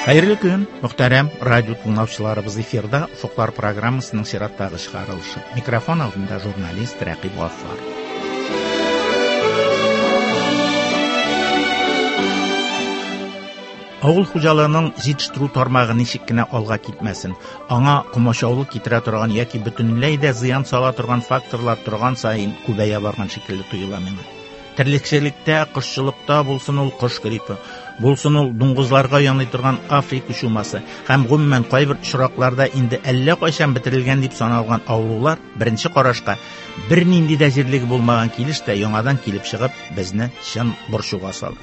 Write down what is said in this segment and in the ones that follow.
Хәерле көн, мөхтәрәм радио тыңлаучыларыбыз эфирда Офыклар программасының чираттагы чыгарылышы. Микрофон алдында журналист Рәкыйп Гаффар. Авыл хуҗалыгының җитештерү тармагы ничек кенә алга китмәсен, аңа комачаулык китерә торган яки бөтенләй дә зыян сала торган факторлар торган саен күбәя барган шикелле тоела миңа. Терлекчелектә, кошчылыкта булсын ул кош гриппы, булсын ул дуңгызларга яный торган Африка чумасы һәм гомумән кайбер очракларда инде әллә кайчан бетерелгән дип саналган авырулар беренче карашка бернинди дә җирлеге булмаган килеш тә яңадан килеп чыгып, безне чын борчуга сала.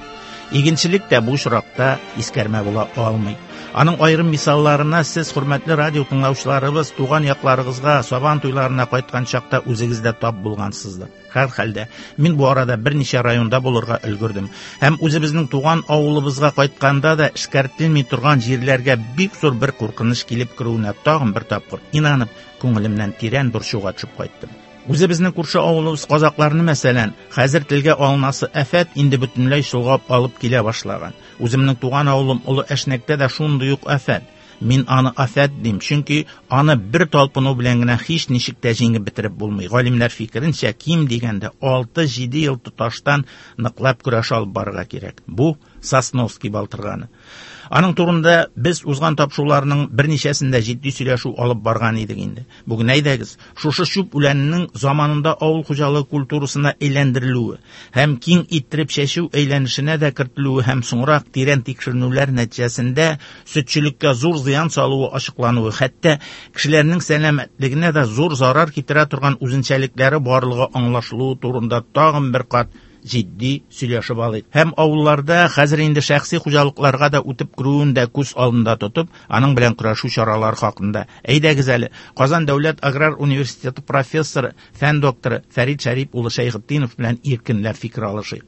Игенчелек тә бу очракта искәрмә була алмый. Аның аерым мисалларына сез, хөрмәтле радио тыңлаучыларыбыз, туган якларыгызга, сабан туйларына кайткан чакта үзегез дә тап булгансыздыр. Һәрхәлдә, мин бу арада берничә районда булырга өлгердем. Һәм үзебезнең туган авылыбызга кайтканда да эшкәртелми торган җирләргә бик зур бер куркыныч килеп керүенә тагын бер тапкыр инанып, күңелемнән тирән борчуга төшеп кайттым. Үзебезнең күрше авылыбыз казакларны, мәсәлән, хәзер телгә алынасы афәт инде бөтенләй чолгап алып килә башлаган. Үземнең туган авылым Олы Әшнәктә дә шундый ук афәт. Мин аны афәт дим, чөнки аны бер талпыну белән генә һич ничек тә җиңеп бетереп булмый. Галимнәр фикеренчә, ким дигәндә 6-7 ел тоташтан ныклап көрәш алып барырга кирәк. Бу Сосновский балтырганы. Аның турында без узган тапшыруларның берничәсендә җитди сөйләшү алып барган идек инде. Бүген әйдәгез, шушы чүп үләненең заманында авыл хуҗалыгы культурасына әйләндерелүе һәм киң иттереп чәчү әйләнешенә дә кертелүе һәм соңрак тирән тикшеренүләр нәтиҗәсендә сөтчелеккә зур зыян салуы ачыклануы, хәтта кешеләрнең сәламәтлегенә дә зур зарар китерә торган үзенчәлекләре барлыгы аңлашылуы турында тагын бер кат җитди сөйләшеп алыйк. Һәм авылларда хәзер инде шәхси хуҗалыкларга да үтеп керүен дә күз алдында тотып, аның белән көрәшү чаралары хакында. Әйдәгез әле, Казан дәүләт аграр университеты профессоры, фән докторы Фәрит Шәрип улы Шәйхетдинов белән иркенләп фикер алышыйк.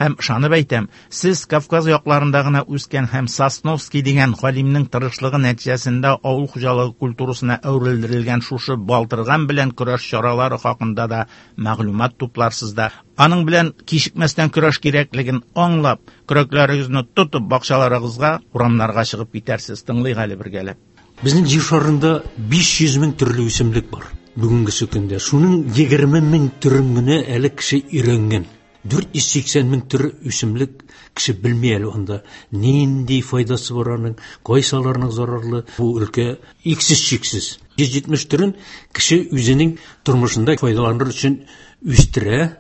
Һәм ышанып әйтәм, сез Кавказ якларында гына үскән һәм Сосновский дигән галимнең тырышлыгы нәтиҗәсендә авыл хуҗалыгы культурасына әверелдерелгән шушы балтырган белән көрәш чаралары хакында да мәгълүмат тупларсыз да, аның белән кичекмәстән көрәш кирәклеген аңлап, көрәкләрегезне тотып бакчаларыгызга, урамнарга чыгып китәрсез. Тыңлыйк әле бергәләп. Безнең җир шарында 500 мең төрле үсемлек бар бүгенгесе көндә. Шуның 20 мең төрен генә әле кеше өйрәнгән. 480 мең төр үсемлек кеше белми әле анда. Нинди файдасы бар аның, кайсыларының зарарлы. Бу өлкә иксез-чиксез. 170 төрен кеше үзенең тормышында файдаланыр өчен үстерә.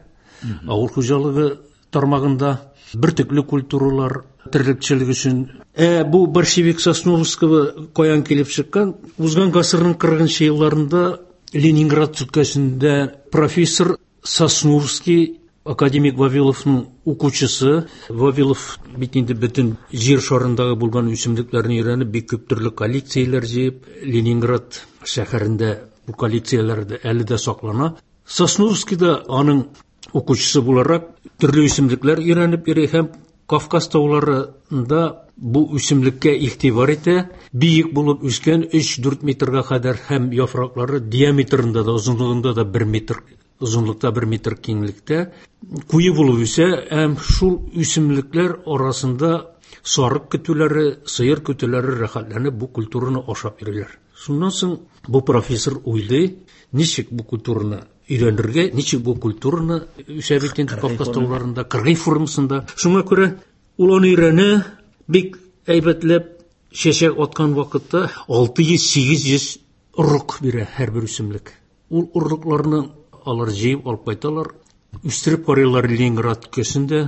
Авыл хуҗалыгы тармагында бөртекле культуралар, терлекчелек өчен. Бу борщевик Сосновского каян килеп чыккан? Узган гасырның 40 елларында Ленинград өлкәсендә профессор Сосновский, академик Вавиловның укучысы. Вавилов бит инде бөтен җир шарындагы булган үсемлекләрне өйрәнеп, бик күп төрле коллекцияләр җыеп, Ленинград шәһәрендә бу коллекцияләр дә әле дә саклана. Сосновский да аның укучысы буларак төрле үсемлекләр өйрәнеп йөри һәм Кавказ тауларында бу үсемлеккә игътибар итә. Биек булып үскән 3-4 метрга кадәр һәм яфраклары диаметрында да, озынлыгында да 1 метр, озынлыкта 1 метр киңлектә куе булып үсә һәм шул үсемлекләр арасында сарык көтүләре, сыер көтүләре рәхәтләнеп бу культураны ашап йөриләр. Шуннан соң бу профессор уйлый, ничек бу культураны өйрәнергә, ничек бу культураны үсә бит инде Кавказ тауларында, кыргый формасында. Шуңа күрә ул аны өйрәнә, бик әйбәтләп чәчәк аткан вакытта 600-800 орлык бирә һәрбер үсемлек. Ул орлыкларны алар җыеп алып кайталар, үстереп карыйлар Ленинград өлкәсендә,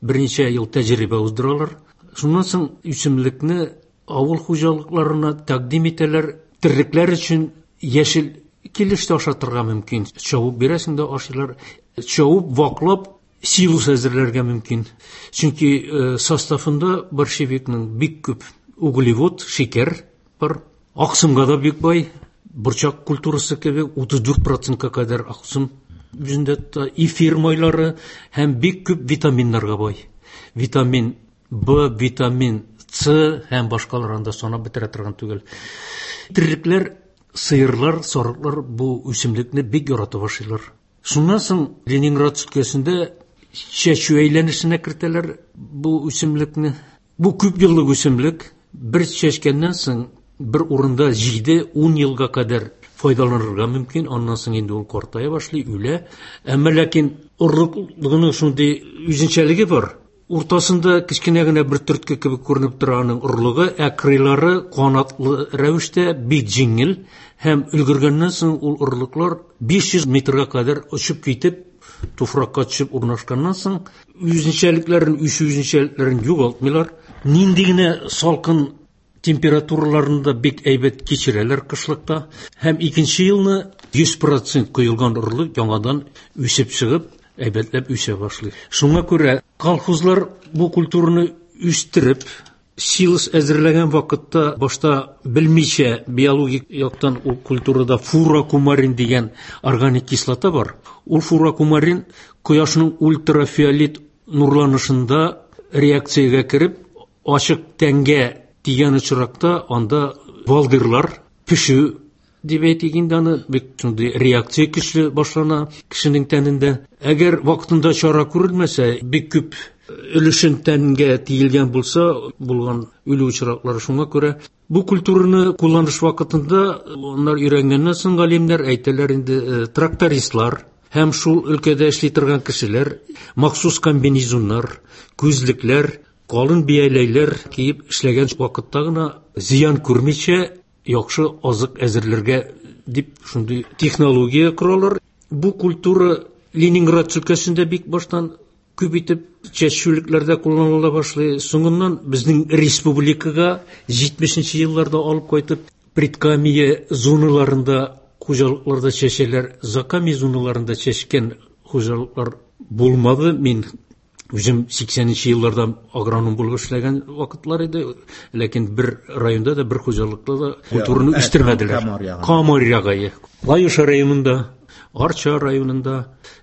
берничә ел тәҗрибә уздыралар. Шуннан соң үсемлекне авыл хуҗалыкларына тәкъдим итәләр, терлекләр өчен яшел килеш тә ашатырга мөмкин. Чабып бирәсең дә ашыйлар. Чабып, ваклап силос әзерләргә мөмкин. Чөнки составында борщевикның бик күп углевод, шикәр бар. Аксымга да бик бай. Борчак культурасы кебек 34%-ка кадәр аксым үзендә тота. Эфир майлары һәм бик күп витаминнарга бай. Витамин Б, витамин С һәм башкалар анда санап бетерә торган түгел. Терлекләр, сыерлар, сарыклар бу үсемлекне бик яратып ашыйлар. Шуннан соң Ленинград өлкәсендә чәчү әйләнешенә кертәләр бу үсемлекне. Бу күп еллык үсемлек. Бер чәчкәннән соң бер урында 7-10 елга кадәр файдаланырга мөмкин. Аннан соң инде ул картая башлый, үлә. Әмма ләкин орлыклыгының шундый үзенчәлеге бар. Уртасында кечкенә генә бер төртке кебек күренеп тора аның орлыгы, ә кырыйлары канатлы рәвештә бик җиңел һәм өлгергәннән соң ул орлыклар 500 метрга кадәр очып китеп, туфракка төшеп урнашканнан соң үзенчәлекләрен, үсү үзенчәлекләрен югалтмыйлар. Нинди генә салкын температураларны да бик әйбәт кичерәләр кышлыкта. Һәм икенче елны 100% коелган орлык яңадан үсеп чыгып, әйбәтләп үсә башлый. Шуңа күрә колхозлар бу культураны үстереп, силос әзерләгән вакытта башта белмичә биологик яктан ул культурада фурокумарин дигән органик кислота бар. Ул фурокумарин кояшның ультрафиолет нурланышында реакциягә кереп, ачык тәнгә тигән очракта анда балдырлар пешү дип әйтик инде аны, бик шундый реакция көчле башлана кешенең тәнендә. Әгәр вакытында чара күрелмәсә, бик күп өлешен тәнгә тиелгән булса, булган үлү очраклары. Шуңа күрә бу культураны кулланыш вакытында алар өйрәнгәннән соң галимнәр әйтәләр инде, трактористлар һәм шул өлкәдә эшли торган кешеләр махсус комбинезоннар, күзлекләр, калын бияләйләр киеп эшләгән вакытта гына зыян күрмичә яхшы азык әзерләргә дип шундый технология коралар. Бу культура Ленинград өлкәсендә бик баштан күп итеп чәчүлекләрдә кулланыла башлый. Соңыннан безнең республикага 70 елларда алып кайтып, Предкамия зоналарында хуҗалыкларда чәчәләр, Закамия зоналарында чәчкән хуҗалыклар булмады. Мин үзем 80 елларда агроном булып эшләгән вакытлар иде, ләкин бер районда да, бер хуҗалыкта да культураны үстермәделәр. Камыр ягы. Лаеш районында, Арча районында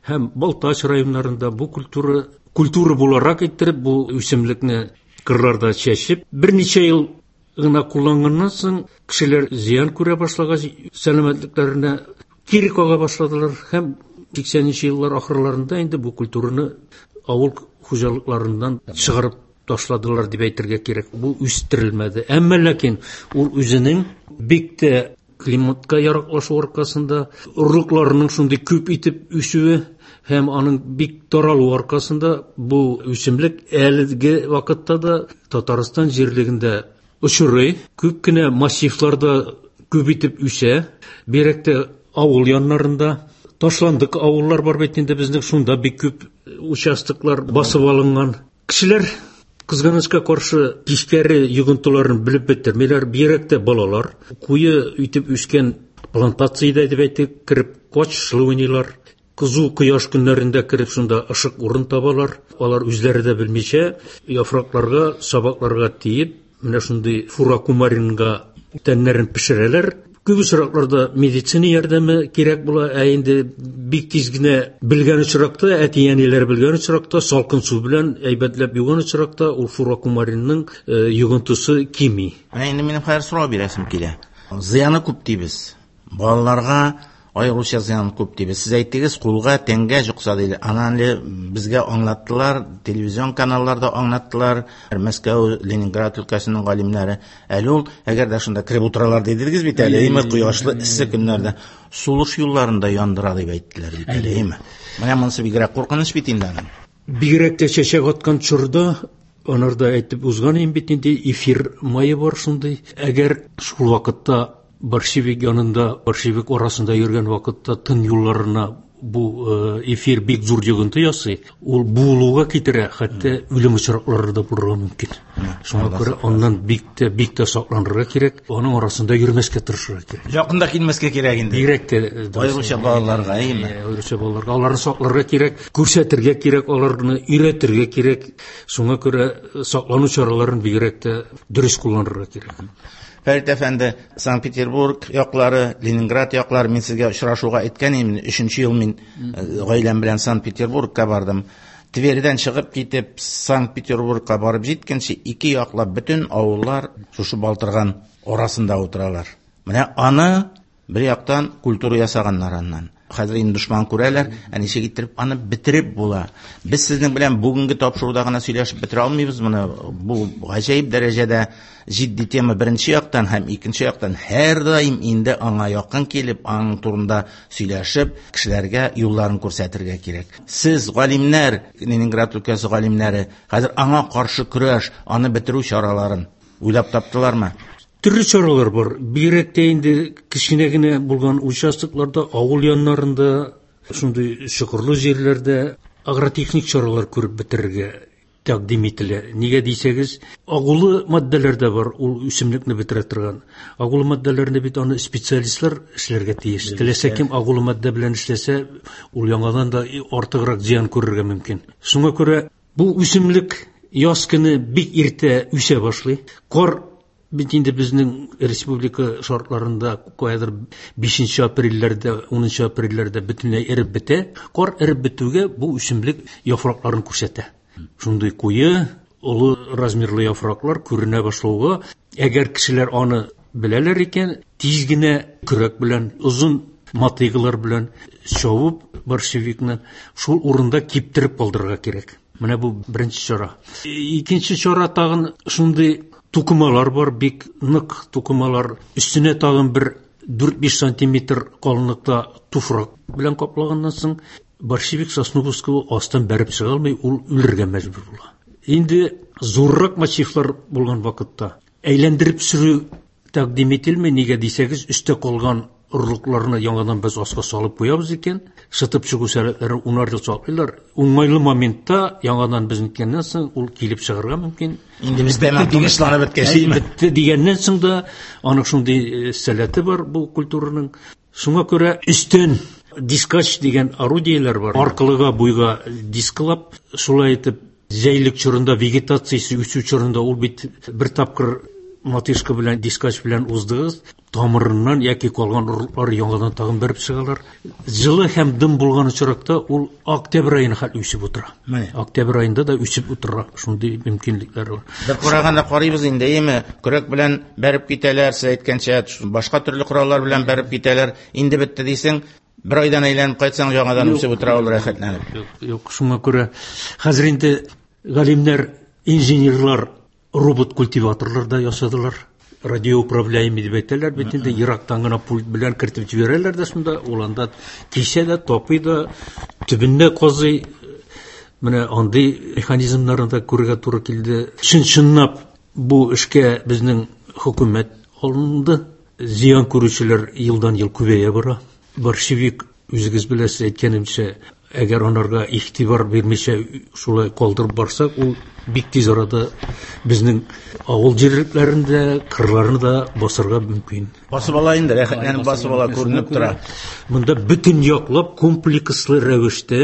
һәм Балтач районнарында бу культура культура буларак иттереп бу үсемлекне кырларда чәчеп, берничә ел гына кулланганнан соң кешеләр зыян күрә башлагач, сәламәтлекләренә кире кага башладылар һәм 80 еллар ахырларында инде бу культураны авыл хуҗалыкларыннан чыгарып ташладылар дип әйтергә кирәк. Бу үстерелмәде. Әмма ләкин ул үзенең бик тә климатка яраклашу аркасында, орлыкларының шундый күп итеп үсүе һәм аның бик таралуы аркасында бу үсемлек әлеге вакытта да Татарстан җирлегендә очрый. Күп кенә массивларда күп итеп үсә. Бигрәк тә авыл яннарында. Ташландык авыллар бар бит инде безнең, шунда бик күп участоклар басып алынган. Кешеләр кызганычка каршы тискәре йогынтыларын белеп бетермиләр, бигрәк тә балалар. Куе итеп үскән плантациядә дип әйтик, кереп качышлы уйныйлар. Кызу кояш көннәрендә кереп шунда ышык урын табалар. Алар үзләре дә белмичә яфракларга, сабакларга тиеп, менә шундый фурокумаринга тәннәрен пешерәләр. Күп очракларда медицина ярдәме кирәк була, ә инде бик тиз генә белгән очракта, әти-әниләр белгән очракта, салкын су белән әйбәтләп юган очракта ул фурокумаринның йогынтысы кими. Менә инде минем хәзер сорау бирәсем килә. Зыяны күп дибез. Балаларга аеруча зыян күп дибез. Сез әйттегез, кулга, тәнгә йокса диде. Анан әле безгә аңлаттылар, телевизион каналларда аңлаттылар, Мәскәү, Ленинград өлкәсенең галимнәре. Әле ул, әгәр дә шунда кереп утыралар дидегез бит әле, әйме, кояшлы эссе көннәрдә сулыш юлларын да яндыра дип әйттеләр бит әле, әйме. Менә монысы бигрәк куркыныч бит инде аның. Бигрәк тә чәчәк аткан чорда анарда әйтеп узган идем бит инде, эфир мае бар шундый. Әгәр шул вакытта борщевик янында, борщевик арасында йөргән вакытта тын юлларына бу эфир бик зур йогынты ясый, ул буылуга китерә, хәтта үлем очраклары да булырга мөмкин. Шуңа күрә аннан бик тә, бик тә сакланырга кирәк, аның арасында йөрмәскә тырышырга кирәк. Якында килмәскә кирәк инде. Бигрәк тә, Аеруча балаларга, әйеме? Аеруча балаларга, аларны сакларга кирәк, күрсәтергә кирәк, аларны өйрәтергә кирәк. Шуңа күрә саклану чараларын бигрәк тә дөрес кулланырга кирәк. Фәрит әфәнде, Санкт-Петербург яклары, Ленинград яклары, мин сезгә очрашуга әйткән идем, 3 ел мин гаиләм белән Санкт-Петербургка бардым. Твердән чыгып китеп, Санкт-Петербургка барып җиткәнче, ике яклап бөтен авыллар шушы балтырган арасында утыралар. Менә аны бер яктан культура ясаганнар аннан. Хәзер инде дошман күрәләр, ә ничек иттереп аны бетереп була? Без сезнең белән бүгенге тапшыруда гына сөйләшеп бетерә алмыйбыз моны. Бу гаҗәеп дәрәҗәдә җитди тема беренче яктан һәм икенче яктан һәрдаим инде аңа якын килеп, аның турында сөйләшеп, кешеләргә юлларын күрсәтергә кирәк. Сез галимнәр, Ленинград өлкәсе галимнәре, хәзер аңа каршы көрәш, аны бетерү чараларын уйлап таптылармы? Төрле чаралар бар. Бигрәк тә инде кечкенә генә булган участокларда, авыл яннарында, шундый чокырлы җирләрдә агротехник чаралар күреп бетерергә тәкъдим ителә. Нигә дисәгез, агулы матдәләр дә бар, ул үсемлекне бетерә торган. Агулы матдәләрне бит аны специалистлар эшләргә тиеш. Теләсә кем агулы матдә белән эшләсә, ул яңадан да артыграк зыян күрергә мөмкин. Шуңа күрә бу үсемлек яз көне бик иртә үсә башлый. Кар бит инде безнең республика шартларында каядыр 5 апрельләрдә, 10 апрельләрдә бөтенләй эреп бетә. Кар эреп бетүгә бу үсемлек яфракларын күрсәтә. Шундый куе, олы размерлы яфраклар күренә башлауга, әгәр кешеләр аны беләләр икән, тиз генә көрәк белән, озын мотыгалар белән чабып борщевикны шул урында киптереп калдырырга кирәк. Менә бу беренче чара. Икенче чара тагын шундый тукымалар бар, бик нык тукымалар. Өстенә тагын бер 4-5 сантиметр калынлыкта туфрак белән каплаганнан соң борщевик сосновского астан бәреп чыга алмый, ул үлергә мәҗбүр була. Инде зуррак массивлар булган вакытта әйләндереп сөрү тәкъдим ителми, нигә дисәгез, өстә калган орлыкларны яңадан без аска салып куябыз икән, шытып чыгу сәләтләрен унар ел саклыйлар. Уңайлы моментта яңадан без ниткәннән соң ул килеп чыгарга мөмкин. Инде без тәмам тынычланып беткәч, Әй, бетте дигәннән соң да аның шундый сәләте бар бу культураның. Шуңа күрә өстен дискач дигән орудиеләр бар. Аркылыга буйга дисклап, шулай итеп җәйлек чорында, вегетациясе үсү чорында ул бит бер тапкыр мотышка белән, дискач белән уздыгыз, тамырыннан яки калган орлыклар яңадан тагын бәреп чыгалар. Җылы һәм дым булган очракта ул октябрь аена хәтле үсеп утыра. Менә. Октябрь аенда да үсеп утыра, шундый мөмкинлекләр бар. Бер караганда карыйбыз инде, әйеме, көрәк белән бәреп китәләр, сез әйткәнчә, башка төрле кораллар белән бәреп китәләр. Инде бетте дисең, бер айдан әйләнеп кайтсаң, яңадан үсеп утыра ул рәхәтләнеп. Юк, юк, шуңа күрә хәзер инде галимнәр, инженерлар робот-культиваторлар да ясадылар. Радиоуправляемый дип әйтәләр бит инде, ерактан гына пульт белән кертеп җибәрәләр дә шунда, ул анда кисә дә, тапый да, төбендә казый. Менә андый механизмнарны да күрергә туры килде. Чын-чынлап бу эшкә безнең хөкүмәт алынды. Зыян күрүчеләр елдан-ел күбәя бара. Борщевик, үзегез беләсез, әйткәнемчә, әгәр анарга игътибар бирмичә шулай калдырып барсак, ул бик тиз арада безнең авыл җирлекләрендә, кырларны да басырга мөмкин. Басып ала инде, рәхәтләнеп басып ала, күренеп тора. Монда бөтен яклап комплекслы рәвештә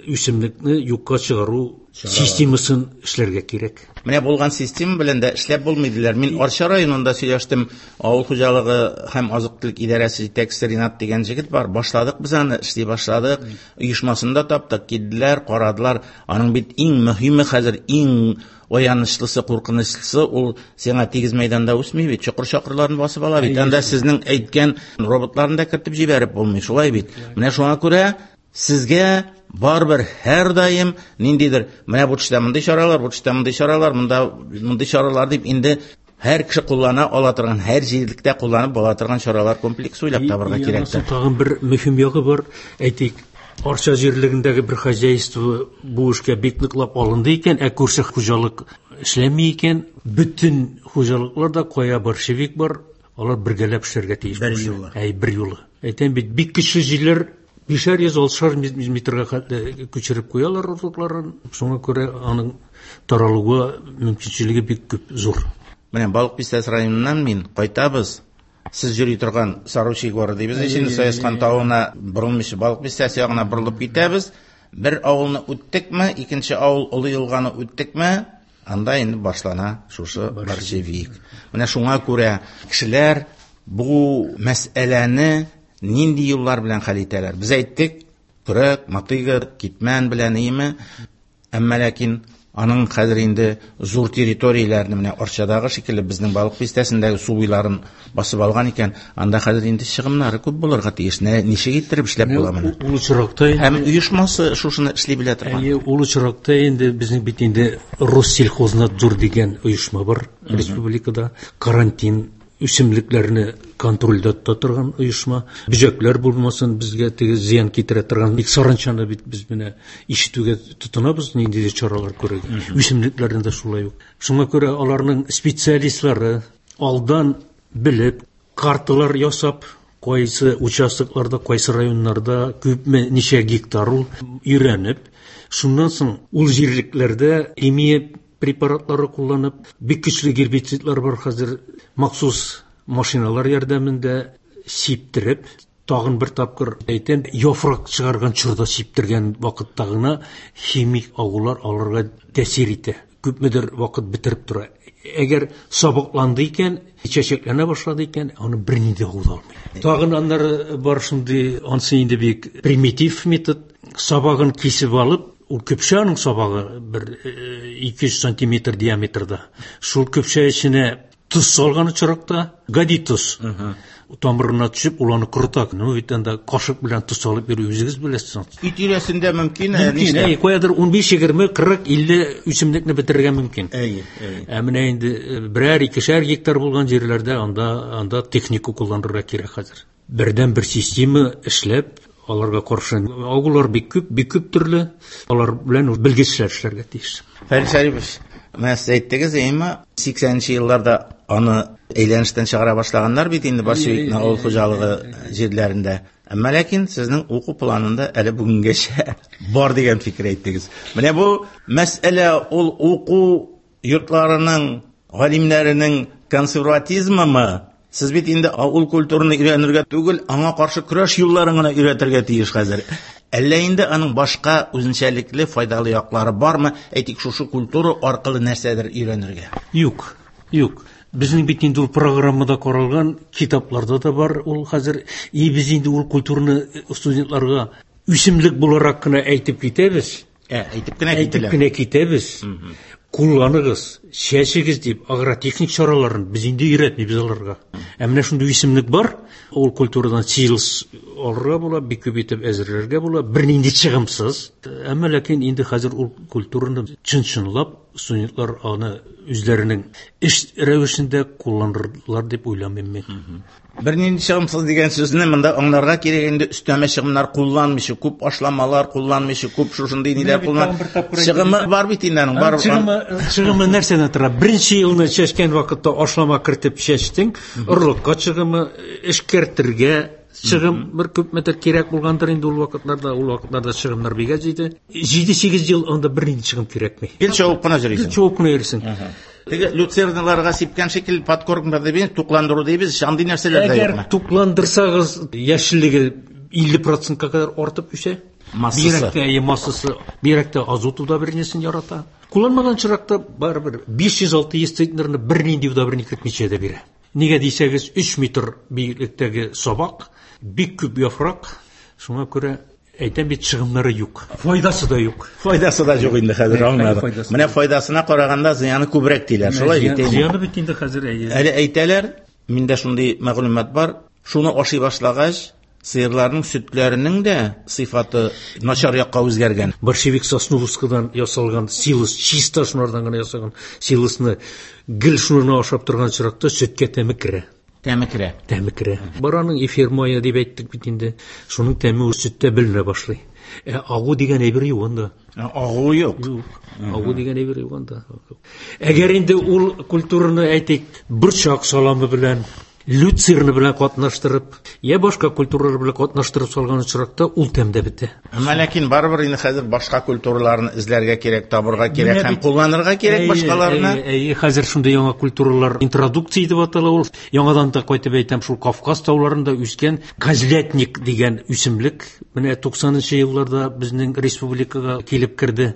үсемлекне юкка чыгару системасын эшләргә кирәк. Менә булган система белән дә эшләп булмый диләр. Мин Арча районында сөйләштем, авыл хуҗалыгы һәм азык-төлек идарәсе җитәкчесе Ринат дигән җегет бар. Башладык без аны, эшли башладык. Оешмасын да таптык, килделәр, карадылар. Аның бит иң мөһиме хәзер, иң аянычлысы, куркынычлысы ул сиңа тигез мәйданда үсми бит, чокыр-чакырларны басып ала бит. Анда сезнең әйткән роботларны да кертеп җибәреп булмый, шулай бит. Менә шуңа күрә сезгә барыбер һәр даим ниндидер, менә бу төштә мондый чаралар, бу төштә мондый чаралар, монда мондый чаралар дип инде һәр кеше куллана ала торган, һәр җирлектә кулланып була торган чаралар комплексы уйлап табарга кирәктер. Тагын бер мөһим ягы бар. Әйтик, Арча җирлегендәге бер хозяйство бу эшкә бик ныклап алынды икән, ә күрше хуҗалык эшләми икән, бөтен хуҗалыклар да кая борщевик бар, алар бергәләп эшләргә тиеш. Бер юлы. Әй, бер юлы. Әйтәм бит, бик көчле җилләр бишәр йөз, алтышар метрга хәтле күчереп куялар орлыкларын. Шуңа күрә аның таралуга мөмкинчелеге бик күп, зур. Менә Балык Бистәсе районыннан мин кайтабыз. Сез йөри торган Саручий горы дибез, инде Саескан тавына борылмыйча Балык Бистәсе ягына борылып китәбез. Бер авылны үттекме, икенче авыл Олы елганы үттекме, анда инде башлана шушы борщевик. Менә шуңа күрә кешеләр бу мәсьәләне нинди юллар белән хәл итәләр? Без әйттек, көрәк, мотыга, китмән белән име, әмма ләкин Аның хәзер инде зур территорияләрне, менә Арчадагы шикелле безнең Балык Бистәсендәге су буйларын басып алган икән, анда хәзер инде чыгымнары күп булырга тиеш. Ничек иттереп эшләп була моны? Ул очракта һәм оешмасы шушыны эшли белә торган. Әйе, ул очракта инде безнең бит инде Россельхознадзор дигән оешма бар республикада. Карантин үсемлекләрне контрольдә тота торган оешма. Бөҗәкләр булмасын, безгә теге зыян китерә торган. Бик саранчаны бит без менә ишетүгә тотынабыз, ниндидер чаралар күрергә. Үсемлекләрне дә шулай ук. Шуңа күрә аларның специалистлары алдан белеп, карталар ясап, кайсы участокларда, кайсы районнарда күпме, ничә гектар ул өйрәнеп, шуннан соң ул җирлекләрдә химия препаратлары кулланып, бик көчле гербицидлар бар хәзер, махсус машиналар ярдәмендә сиптереп, тагын бер тапкыр әйтәм, яфрак чыгарган чорда сиптергән вакытта гына химик агулар аларга тәэсир итә. Күпмедер вакыт бетереп тора. Әгәр сабакланды икән, чәчәкләнә башлады икән, аны бернинди агу да алмый. Тагын аннары бар шундый, ансы инде бик примитив метод, сабагын кисеп алып, ул көпшә аның сабагы бер 200 сантиметр диаметрда. Шул көпшә эченә тоз салган очракта, гади тоз, тамырына төшеп, ул аны корыта. Ну, бит анда кашык белән тоз салып йөрү үзегез беләсез. Өй тирәсендә мөмкин, Мөмкин, нишләп? Каядыр 15, 20, 40, 50 үсемлекне бетерергә мөмкин. Әйе, әйе. Ә менә инде берәр, икешәр гектар булган җирләрдә анда техника кулланырга кирәк хәзер. Бердән бер система эшләп, аларга каршы агулар бик күп, бик күп төрле, алар белән белгечләр эшләргә тиеш. Фәрит Шәрипович, менә сез әйттегез, әйеме, сиксәненче елларда аны әйләнештән чыгара башлаганнар бит инде борщевикны авыл хуҗалыгы җирләрендә. Әмма ләкин сезнең уку планында әле бүгенгәчә бар дигән фикер әйттегез. Менә бу мәсьәлә ул уку йортларының, галимнәренең консерватизмымы? Сез бит инде ул культураны өйрәнергә түгел, аңа каршы көрәш юлларын гына өйрәтергә тиеш хәзер. Әллә инде аның башка үзенчәлекле файдалы яклары бармы? Әйтик, шушы культура аркылы нәрсәдер өйрәнергә? Юк, юк. Безнең бит инде ул программада каралган, китапларда да бар ул хәзер. И без инде ул культураны студентларга үсемлек буларак кына әйтеп китәбез. Әйтеп кенә Әйтеп кителә. кенә китәбез. Кулланыгыз, чәчегез дип агротехник чараларын без инде өйрәтмибез аларга. Ә менә шундый үсемлек бар, ул культурадан силос алырга була, бик күп итеп әзерләргә була, бернинди чыгымсыз. Әмма ләкин инде хәзер ул культураны чын-чынлап студентлар аны үзләренең эш рәвешендә кулланырлар дип уйламыйм мин. Бернинди чыгымсыз дигән сүзне монда аңларга кирәк инде, өстәмә чыгымнар кулланмыйча, күп ашламалар кулланмыйча, күп шушындый ниләр Менә бит куллан- тагын бер тапкыр әйтеп Чыгымы бар бит инде аның, бар. Чыгымы нәрсәдән тора? Беренче елны чәчкән вакытта ашлама кертеп чәчтең, орлыкка чыгымы, эшкәртергә чыгым бер күпмедер кирәк булгандыр инде ул вакытларда, ул вакытларда чыгымнар бик әз иде. Җиде-сигез ел анда бернинди чыгым кирәкми. Гел чабып кына йөрисең. Гел чабып кына йөрисең. Теге люцерналарга сипкән шикелле подкормка дибез, тукландыру дибез, андый нәрсәләр дә Әгәр юкмы? тукландырсагыз, яшеллеге илле процентка кадәр артып үсә. Массасы. Бигрәк тә, әйе, массасы, бигрәк тә азот удобрениесен ярата. Кулланмаган чиракта барыбер биш йөз алты йөз центнерны бернинди удобрение кертмичә дә бирә. Нигә дисәгез, 3 метр биеклектәге сабак, бик күп яфрак, шуңа күрә әйтәм бит, чыгымнары юк. Файдасы да юк. Файдасы да юк инде хәзер, Әй, аңладым. файдасы Менә файдасына караганда зыяны күбрәк диләр. Шулай бит, әйе. Зыяны бит инде хәзер, әйе. Әле әйтәләр, миндә шундый мәгълүмат бар, шуны ашый башлагач, сыерларның сөтләренең дә сыйфаты начар якка үзгәргән. Борщевик сосновскадан ясалган силос, чиста шунардан гына ясалган силосны гел шуны ашап торган чиракта сөткә тәме керә. Тәме керә. Тәме керә. Бараның эфир мае дип әйттек бит инде. Шуның тәме ул сөттә беленә башлый. Агу дигән әйбер юк анда. Агу юк. Юк. Агу дигән әйбер юк анда. Әгәр инде ул культураны әйтик, борчак саламы белән, люцерны белән катнаштырып, я башка культуралар белән катнаштырып салган очракта ул тәм дә бетә. Әмма ләкин барыбер инде хәзер башка культураларны эзләргә кирәк, табырга кирәк Менә һәм бит кулланырга кирәк Әйе, башкаларны. әйе, әйе, хәзер шундый яңа культуралар интродукция дип атала ул. Яңадан да кайтып әйтәм, шул Кавказ тауларында үскән козлятник дигән үсемлек менә туксанынчы елларда безнең республикага килеп керде.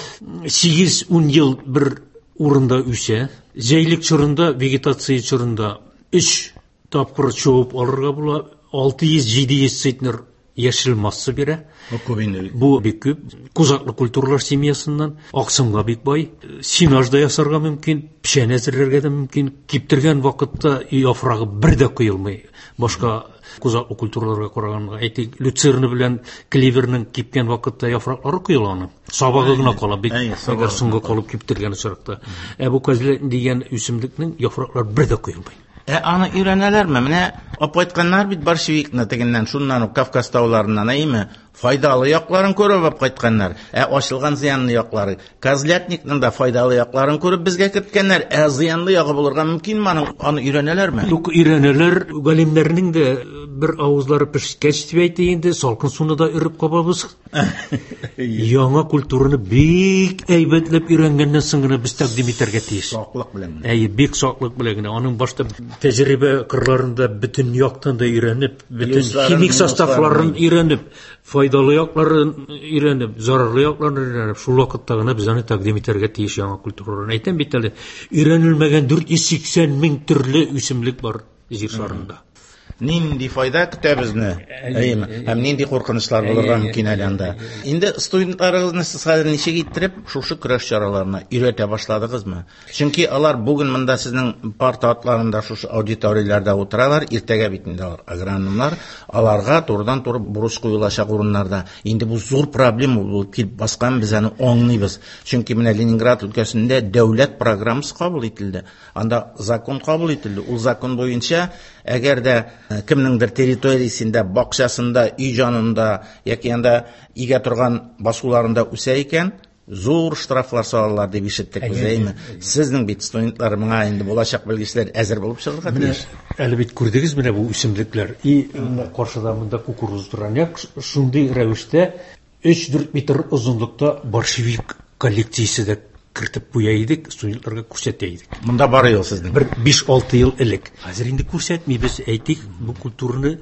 Сигез-ун ел бер урында үсә. Җәйлек чорында, вегетация чорында 3 тапкыр чабып алырга була. Алты йөз, җиде йөз центнер яшел масса бирә. Бу күп инде. Бу бик күп. Кузаклы культуралар семьясыннан аксымга бик бай. Сенаж да ясарга мөмкин, печән әзерләргә дә мөмкин. Киптергән вакытта яфрагы бер дә коелмый. Башка кузаклы культураларга караганда, әйтик, люцерна белән клеверның кипкән вакытта яфраклары коела аның. Сабагы гына кала бик, әгәр соңга калып киптергән очракта. Ә бу козлятник дигән үсемлекнең яфраклары бер дә коелмый. Ә аны өйрәнәләрме? Менә алып кайтканнар бит борщевикны тегеннән, шуннан ук Кавказ тауларыннан, әйеме? Файдалы якларын күреп алып кайтканнар. Ә ачылган зыянлы яклары. Козлятникның да файдалы якларын күреп безгә керткәннәр. Ә зыянлы ягы булырга мөмкинме аның? Аны өйрәнәләрме? Юк, өйрәнәләр. Галимнәрнең дә бер авызлары пешкәч дип әйтик инде, салкын суны да өреп кабабыз. Яңа культураны бик әйбәтләп өйрәнгәннән соң гына без тәкъдим итәргә тиеш. Саклык белән. Әйе, бик саклык белән генә. Аның башта тәҗрибә кырларында бөтен яктан да өйрәнеп, бөтен химик составларын өйрәнеп, файдалы якларын өйрәнеп, зарарлы якларын өйрәнеп, шул вакытта гына без аны тәкъдим итәргә тиеш яңа культураларын. Әйтәм бит әле, өйрәнелмәгән 480 мең төрле үсемлек бар җир шарында. Нинди файда көтә безне? Әйеме? Һәм нинди куркынычлар булырга мөмкин әле анда? Инде студентларыгызны сез хәзер ничек иттереп шушы көрәш чараларына өйрәтә башладыгызмы? Чөнки алар бүген монда сезнең парта атларында шушы аудиторияләрдә утыралар, иртәгә бит инде алар агрономнар, аларга турыдан-туры бурыч куелачак урыннарда. Инде бу зур проблема булып килеп баскан, без аны аңлыйбыз. Чөнки менә Ленинград өлкәсендә дәүләт программасы кабул ителде. Анда закон кабул ителде. Ул закон буенча, әгәр дә кемнеңдер территориясендә, бакчасында, өй җанында яки анда игә торган басуларында үсә икән, зур штрафлар салалар дип ишеттек без, әйеме? Сезнең бит студентлар моңа инде булачак белгечләр әзер булып чыгарга тиеш. Әле бит күрдегез менә бу үсемлекләр. И каршыда монда кукуруз тора. Нәкъ шундый рәвештә 3-4 метр озынлыкта борщевик коллекциясе дә кертеп куя идек, студентларга күрсәтә идек. Монда бар ел сезнең. Бер 5-6 ел элек. Хәзер инде күрсәтмибез, әйтик, бу культураны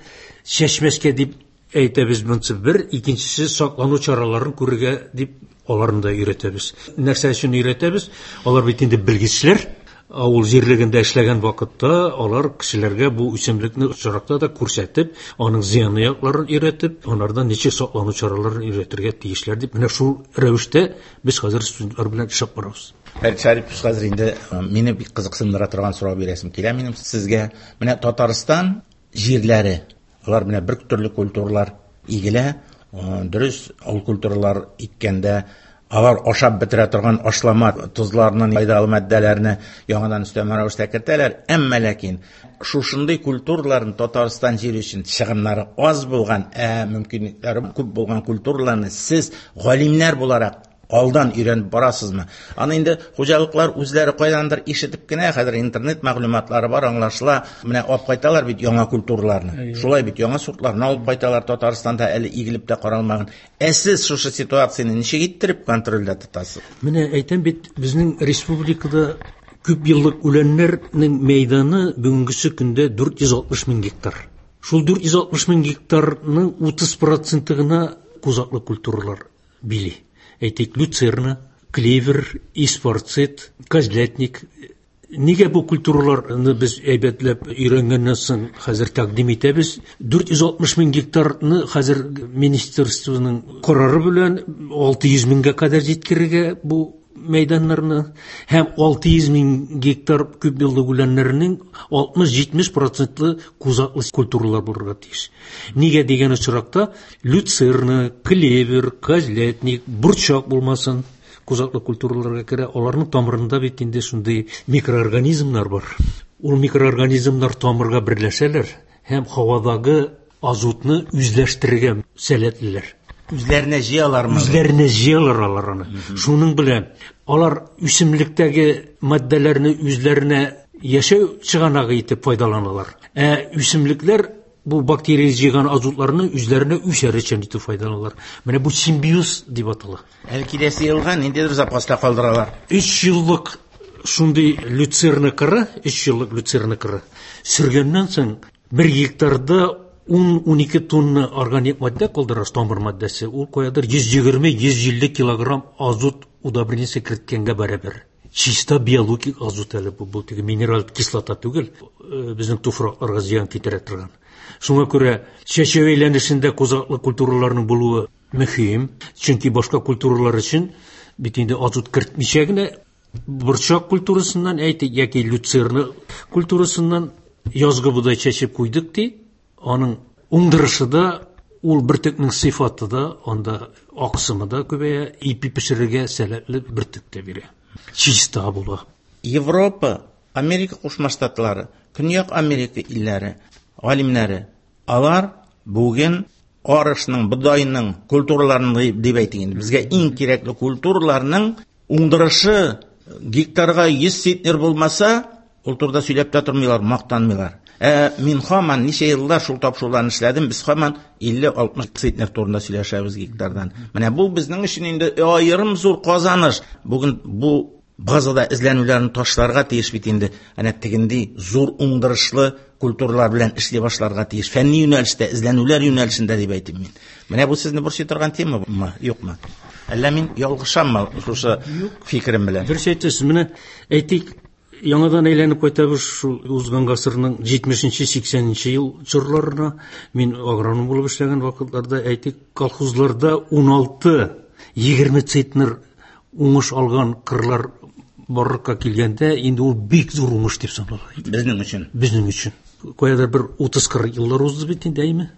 чәчмәскә дип әйтәбез монысы бер, икенчесе саклану чараларын күрергә дип аларны да өйрәтәбез. Нәрсә өчен өйрәтәбез? Алар бит инде белгечләр. Авыл җирлегендә эшләгән вакытта алар кешеләргә бу үсемлекне очракта да күрсәтеп, аның зыянлы якларын өйрәтеп, анардан ничек саклану чараларын өйрәтергә тиешләр дип, менә шул рәвештә без хәзер студентлар белән эшләп барабыз. Фәрит Шарипович, хәзер инде мине бик кызыксындыра торган сорау бирәсем килә минем сезгә. Менә Татарстан җирләре, алар менә бер төрле культуралар игелә, дөрес, ул культуралар иккәндә алар ашап бетерә торган ашлама, тозларны, файдалы матдәләрне яңадан өстәмә рәвештә кертәләр. Әмма ләкин шушындый культураларны Татарстан җире өчен чыгымнары аз булган, ә мөмкинлекләре күп булган культураларны сез галимнәр буларак алдан өйрәнеп барасызмы? Аны инде хуҗалыклар үзләре кайдандыр ишетеп кенә, хәзер интернет мәгълүматлары бар, аңлашыла. Менә алып кайталар бит яңа культураларны. Шулай бит яңа сортларны алып кайталар Татарстанда әле игелеп тә каралмаган. Ә сез шушы ситуацияне ничек иттереп контрольдә тотасыз? Менә әйтәм бит, безнең республикада күп еллык үләннәрнең мәйданы бүгенгесе көндә 460 мең гектар. Шул 460 мең гектарның 30% гына кузаклы культуралар били. Әйтик, люцерна, клевер, эспарцет, козлятник. Нигә бу культураларны без әйбәтләп өйрәнгәннән соң хәзер тәкъдим итәбез? 460 мең гектарны хәзер министерствоның карары белән 600 меңгә кадәр җиткерергә бу мәйданнарны һәм 600 мең гектар күп еллык үләннәрнең 60-70 процентлы кузаклы культуралар булырга тиеш. Нигә дигән очракта люцерна, клевер, козлятник, борчак булмасын кузаклы культураларга керә. Аларның тамырында бит инде шундый микроорганизмнар бар. Ул микроорганизмнар тамырга берләшәләр һәм һавадагы азотны үзләштерергә сәләтлеләр. Үзләренә җыялармы? Үзләренә җыялар алар аны. Шуның белән алар үсемлектәге матдәләрне үзләренә яшәү чыганагы итеп файдаланалар. Ә үсемлекләр бу бактерия җыйган азотларны үзләренә үсәр өчен итеп файдаланалар. Менә бу симбиоз дип атала. Әле киләсе елга ниндидер запаста калдыралар. 3 еллык шундый люцерна кыры, 3 еллык люцерна кыры сөргәннән соң 1 гектарда 10-12 тонна органик матдә калдырасыз, тамыр матдәсе. Ул каядыр 120-150 килограмм азот удобрениесе керткәнгә бәрабәр. Чиста биологик азот әле бу, бу теге минераль кислота түгел, безнең туфракларга зыян китерә торган. Шуңа күрә чәчү әйләнешендә кузаклы культураларның булуы мөһим, чөнки башка культуралар өчен бит инде азот кертмичә генә борчак культурасыннан әйтик яки люцерна культурасыннан язгы бодай чәчеп куйдык ди, аның уңдырышы да, ул бөртекнең сыйфаты да, анда аксымы да күбәя, ипи пешерергә сәләтле бөртек тә бирә. Чиста була. Европа, Америка Кушма Штатлары, Көньяк Америка илләре галимнәре, алар бүген арышның, бодайның, культураларның дип әйтик инде, безгә иң кирәкле культураларның уңдырышы гектарга 100 центнер булмаса, ул турыда сөйләп тә тормыйлар, мактанмыйлар. Ә мин һаман ничә еллар шул тапшыруларны эшләдем, без һаман 50-60 центнер турында сөйләшәбез гектардан. Менә бу безнең өчен инде аерым зур казаныш. Бүген бу базада эзләнүләрне ташларга тиеш бит инде. Әнә тегенди зур уңдырышлы культуралар белән эшли башларга тиеш. Фәнни юнәлештә, эзләнүләр юнәлешендә дип әйтим мин. Менә бу сезне борчый торган темамы, юкмы? Әллә мин ялгышаммы шушы фикерем белән? Дөрес әйтәсез. Менә әйтик, яңадан әйләнеп кайтабыз шул узган гасырның 70-80 ел чорларына. Мин агроном булып эшләгән вакытларда, әйтик, колхозларда 16-20 центнер уңыш алган кырлар барлыкка килгәндә, инде ул бик зур уңыш дип санала иде. Безнең өчен. Безнең өчен. Каядыр бер 30-40 еллар узды бит инде, әйме?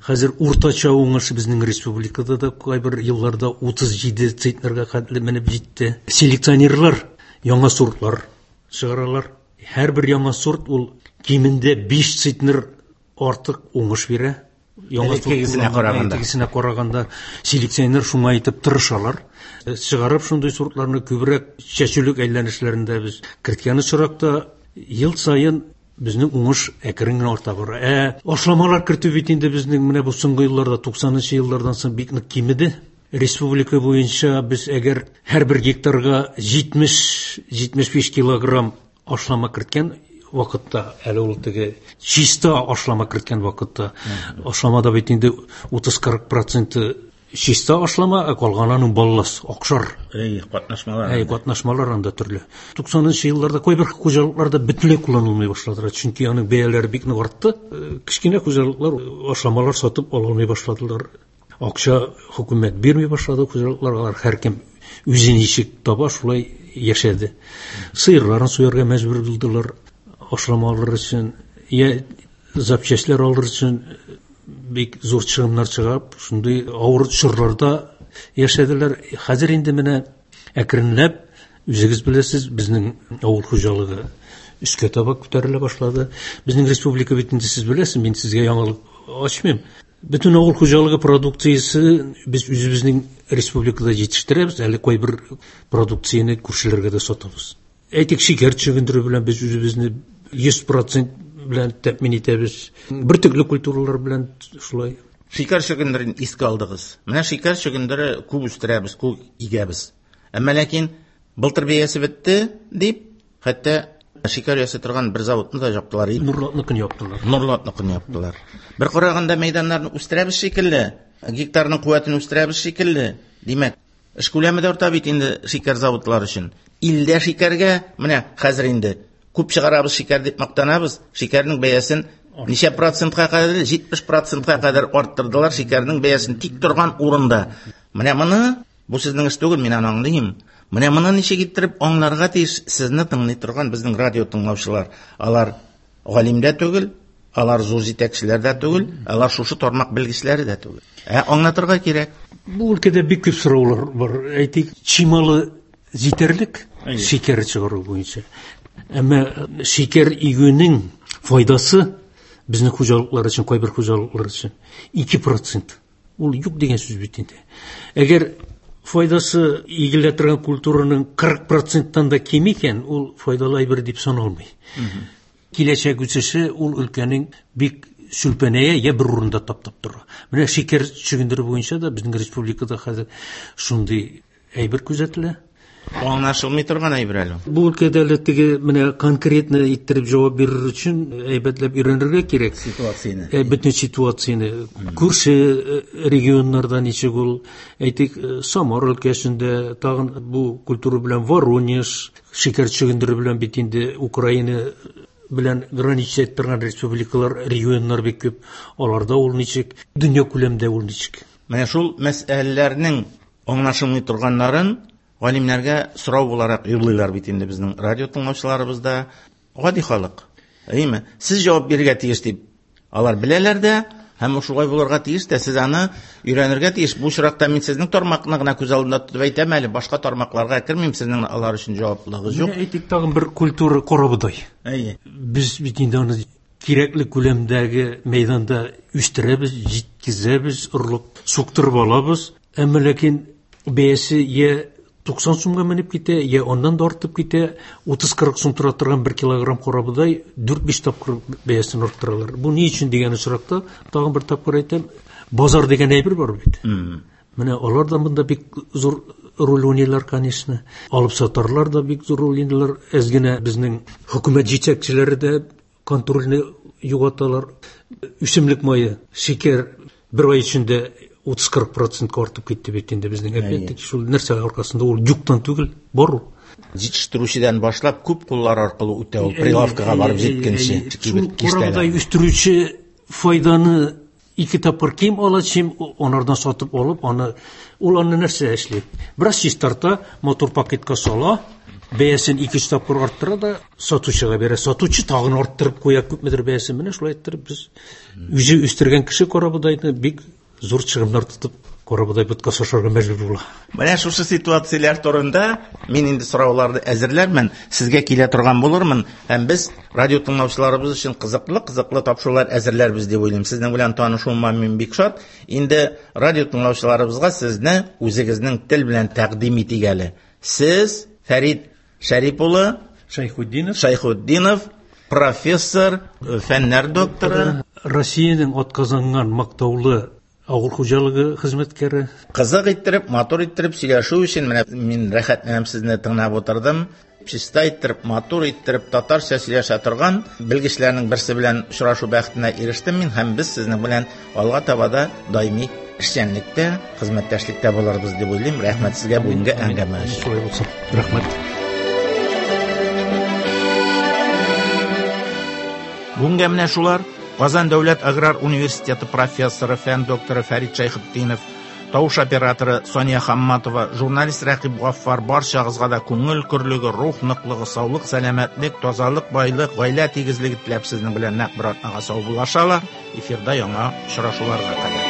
Хәзер уртача уңыш безнең республикада да кайбер елларда 37 центнерга хәтле менеп җитте. Селекционерлар яңа сортлар чыгаралар. Һәрбер яңа сорт ул кимендә 5 центнер артык уңыш бирә. Яңа Элеккегесенә караганда. Элеккегесенә караганда селекционер шуңа итеп тырышалар. Чыгарып шундый сортларны күбрәк чәчүлек әйләнешләрендә без керткән очракта ел саен безнең уңыш әкрен генә арта бара. Ашламалар кертү бит инде безнең менә бу соңгы елларда, 90-нчы еллардан соң бик нык кимеде. Республика буенча без әгәр һәрбер гектарга 70-75 килограмм ашлама керткән вакытта, әле ул теге чиста ашлама керткән вакытта, ашламада бит инде 30-40 проценты чиста ашлама, ә калганы аның баллас, акшар. Әй, катнашмалар. Әй, катнашмалар анда төрле. 90-нчы елларда кайбер хуҗалыкларда бөтенләй кулланылмый башладылар, чөнки аның бәяләре бик нык артты. Кечкенә хуҗалыклар ашламалар сатып ала алмый башладылар. Акча хөкүмәт бирми башлады хуҗалыкларга, алар һәркем үзе ничек таба, шулай яшәде. Сыерларын суярга мәҗбүр булдылар, ашлама алыр өчен, я запчастьлар алыр өчен бик зур чыгымнар чыгып, шундый авыр чорларда яшәделәр. Хәзер инде менә әкренләп, үзегез беләсез, безнең авыл хуҗалыгы өскә таба күтәрелә башлады. Безнең республика бит инде сез беләсез, мин сезгә яңалык ачмыйм. Бөтен авыл хуҗалыгы продукциясе без үзебезнең республикада җитештерәбез, әле кайбер продукцияне күршеләргә дә сатабыз. Әйтик, шикәр чөгендере белән без үзебезне 100% белән тәэмин итәбез. Бөртекле культуралар белән шулай. Шикәр чөгендерен искә алдыгыз. Менә шикәр чөгендере күп үстерәбез, күп игәбез. Әмма ләкин былтыр бәясе бетте дип, хәтта шикәр ясый торган бер заводны да яптылар. Нурлатныкын яптылар. Нурлатныкын яптылар. Бер караганда мәйданнарны үстерәбез шикелле, гектарның куәтен үстерәбез шикелле. Димәк, эш күләме дә арта бит инде шикәр заводлары өчен. Илдә шикәргә менә хәзер инде күп чыгарабыз шикәр дип мактанабыз. Шикәрнең бәясен ничә процентка кадәр? 70 процентка кадәр арттырдылар шикәрнең бәясен тик торган урында. Менә моны, бу сезнең эш түгел, мин аны аңлыйм. Менә моны ничек иттереп аңларга тиеш сезне тыңлый торган безнең радио тыңлаучылар. Алар галим дә түгел, алар зур җитәкчеләр дә түгел, алар шушы тармак белгечләре дә түгел. Ә аңлатырга кирәк. Бу өлкәдә бик күп сораулар бар. Әйтик, чималы җитәрлек шикәр чыгару буенча. Әмма шикәр игүнең файдасы безнең хуҗалыклар өчен, кайбер хуҗалыклар өчен 2%. Ул юк дигән сүз бит инде. Әгәр файдасы игелә торган культураның 40 проценттан да ким икән, ул файдалы әйбер дип саналмый. Киләчәк үсеше ул өлкәнең бик сүлпәнәя я бер урында таптап тора. Менә шикәр чөгендере буенча да безнең республикада хәзер шундый әйбер күзәтелә. Аңлашылмый торган әйбер әле. Бу өлкәдә әле теге менә конкретно иттереп җавап бирер өчен әйбәтләп өйрәнергә кирәк. Ситуацияне. Бөтен ситуацияне. Күрше регионнарда ничек ул, әйтик, Самар өлкәсендә, тагын бу культура белән Воронеж, шикәр чөгендере белән бит инде Украина белән граничить торган республикалар, регионнар бик күп. Аларда ул ничек, дөнья күләмендә ул ничек? Менә шул мәсьәләләрнең аңлашылмый торганнарын галимнәргә сорау буларак юллыйлар бит инде безнең радио тыңлаучыларыбыз да, гади халык. Әйеме? Сез җавап бирергә тиеш дип алар беләләр дә, һәм шулай булырга тиеш тә, сез аны өйрәнергә тиеш. Бу очракта мин сезнең тармакны гына күз алдында тотып әйтәм әле, башка тармакларга кермим, сезнең алар өчен җаваплылыгыз юк. Менә әйтик тагын бер культура карабодай. Әйе. Без бит инде аны кирәкле күләмдәге мәйданда үстерәбез, җиткезәбез, орлык суктырып алабыз. Әмма ләкин бәясе я 90 сумга менеп китә, я аннан да артып китә. 30-40 сум тора торган 1 килограмм карабодай 4-5 тапкыр бәясен арттыралар. Бу ни өчен дигән очракта, тагын бер тапкыр әйтәм, базар дигән әйбер бар бит. Менә алар да монда бик зур роль уйныйлар, конечно. Алып сатарлар да бик зур роль уйныйлар. Әз генә безнең хөкүмәт җитәкчеләре дә контрольне югалталар. Үсемлек мае, шикәр бер ай эчендә 30-40 процентка артып китте бит инде безнең. Опять-таки шул нәрсә аркасында ул юктан түгел, бар ул. Җитештерүчедән башлап күп куллар аркылы үтә ул прилавкага барып җиткәнче. Шул карабодай үстерүче файданы ике тапкыр ким ала, чем анардан сатып алып, аны ул аны нәрсә эшли? Бераз чистарта, матур пакетка сала, бәясен ике-өч тапкыр арттыра да сатучыга бирә. Сатучы тагын арттырып куя күпмедер бәясен. Менә шулай иттереп без үзе үстергән кеше карабодайны бик зур чыгымнар тотып карабодай боткасы ашарга мәҗбүр була. Менә шушы ситуацияләр турында мин инде сорауларны әзерләрмен, сезгә килә торган булырмын һәм без радио тыңлаучыларыбыз өчен кызыклы-кызыклы тапшырулар әзерләрбез дип уйлыйм. Сезнең белән танышуыма мин бик шат. Инде радио тыңлаучыларыбызга сезне үзегезнең тел белән тәкъдим итик әле. Сез Фәрит Шәрип улы Шәйхетдинов. Шәйхетдинов, профессор, фәннәр докторы. Россиянең атказанган мактаулы авыл хуҗалыгы хезмәткәре. Кызык иттереп, матур иттереп сөйләшү өчен менә мин рәхәтләнеп сезне тыңлап утырдым. Чиста иттереп, матур иттереп татарча сөйләшә торган белгечләрнең берсе белән очрашу бәхетенә ирештем мин һәм без сезнең белән алга таба да даими эшчәнлектә, хезмәттәшлектә булырбыз дип уйлыйм. Рәхмәт сезгә бүгенге әңгәмә өчен. Шулай булсын. Рәхмәт. Бүгенгә менә шулар. Казан дәүләт аграр университеты профессоры, фән докторы Фәрит Шәйхетдинов, тавыш операторы Сания Хамматова, журналист Рәкыйп Гаффар барчагызга да күңел көрлеге, рух ныклыгы, саулык, сәламәтлек, тазалык, байлык, гаилә тигезлеге теләп сезнең белән нәкъ бер атнага саубуллашалар. Эфирда яңа очрашуларга кадәр.